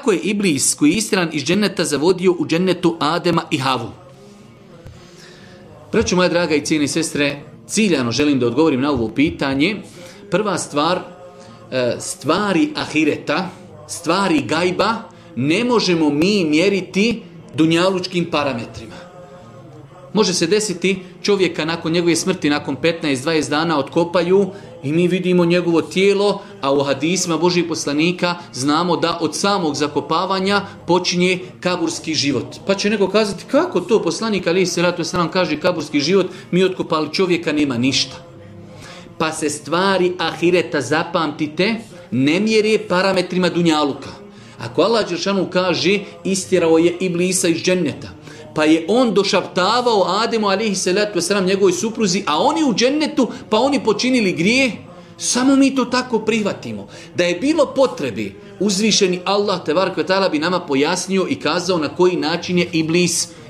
kako je Iblis koji je istjeran iz dženneta zavodio u džennetu Adema i Havu? Braćo moja draga i cijene sestre, ciljano želim da odgovorim na ovo pitanje. Prva stvar, stvari ahireta, stvari gajba ne možemo mi mjeriti dunjalučkim parametrima. Može se desiti čovjeka nakon njegove smrti, nakon 15-20 dana otkopaju i mi vidimo njegovo tijelo, a u hadisima Božih poslanika znamo da od samog zakopavanja počinje kaburski život. Pa će neko kazati, kako to poslanik alejhi selatu vesselam kaže kaburski život, mi otkopali čovjeka, nema ništa. Pa se stvari ahireta, zapamtite, ne mjere parametrima dunjaluka. Ako Allah dželešanu kaže istjerao je Iblisa iz dženneta, pa je on došaptavao Ademu alejhi selatu vesselam njegovoj supruzi, a oni u džennetu, pa oni počinili grijeh, samo mi to tako prihvatimo. Da je bilo potrebe, uzvišeni Allah tebarek ve taala bi nama pojasnio i kazao na koji način je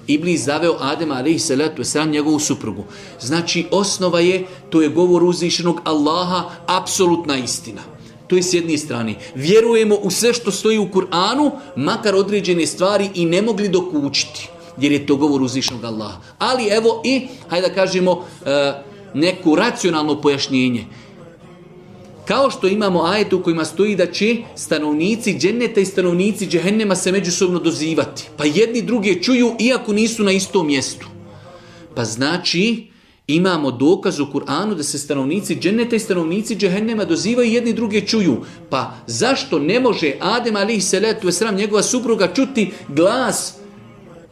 Iblis zaveo Adema alejhi salatu vesselam njegovu suprugu. Znači osnova je, to je govor uzvišenog Allaha, apsolutna istina. To je s jedne strane. Vjerujemo u sve što stoji u Kur'anu, makar određene stvari i ne mogli dokučiti, jer je to govor uzvišenog Allaha. Ali evo i, hajde da kažemo, neko racionalno pojašnjenje. Kao što imamo ajet u kojima stoji da će stanovnici dženneta i stanovnici džehennema se međusobno dozivati. Pa jedni druge čuju iako nisu na istom mjestu. Pa znači imamo dokaz u Kur'anu da se stanovnici dženneta i stanovnici džehennema dozivaju i jedni druge čuju. Pa zašto ne može Adem alejhi selatu vesselam njegova supruga čuti glas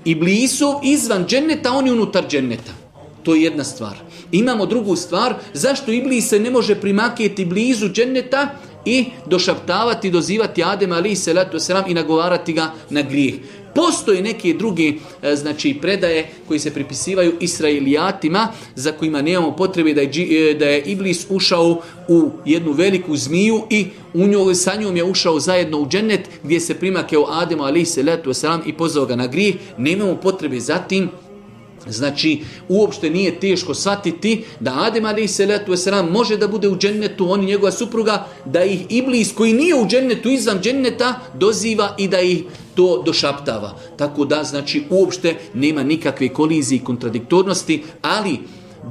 Iblisov izvan dženneta, oni unutar dženneta? To je jedna stvar. Imamo drugu stvar, zašto Iblis se ne može primakjeti blizu dženneta i došaptavati, dozivati Adema alejhi selatu vesselam i nagovarati ga na grijeh. Postoje neke druge predaje koji se pripisivaju Israelijatima, za kojima nemamo potrebe da je Iblis ušao u jednu veliku zmiju i sa njom je ušao zajedno u džennet gdje se primakao Ademu alejhi selatu vesselam i pozvao ga na grijeh. Nemamo potrebe za tim. Znači, uopšte nije teško shvatiti da Adem alejhi selatu vesselam može da bude u džennetu, on i njegova supruga, da ih Iblis koji nije u džennetu, izvan dženneta, doziva i da ih to došaptava. Tako da, znači, uopšte nema nikakve kolizije i kontradiktornosti, ali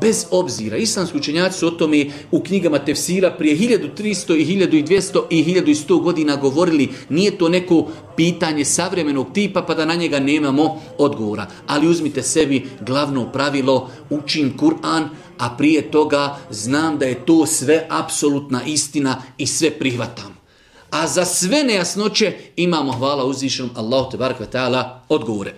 bez obzira, islamski učenjaci su o tome u knjigama tefsira prije 1300 i 1200 i 1100 godina govorili. Nije to neko pitanje savremenog tipa pa da na njega nemamo odgovora. Ali uzmite sebi glavno pravilo, učim Kur'an, a prije toga znam da je to sve apsolutna istina i sve prihvatam. A za sve nejasnoće imamo, hvala uzvišenom Allahu tebarek ve taala, odgovore.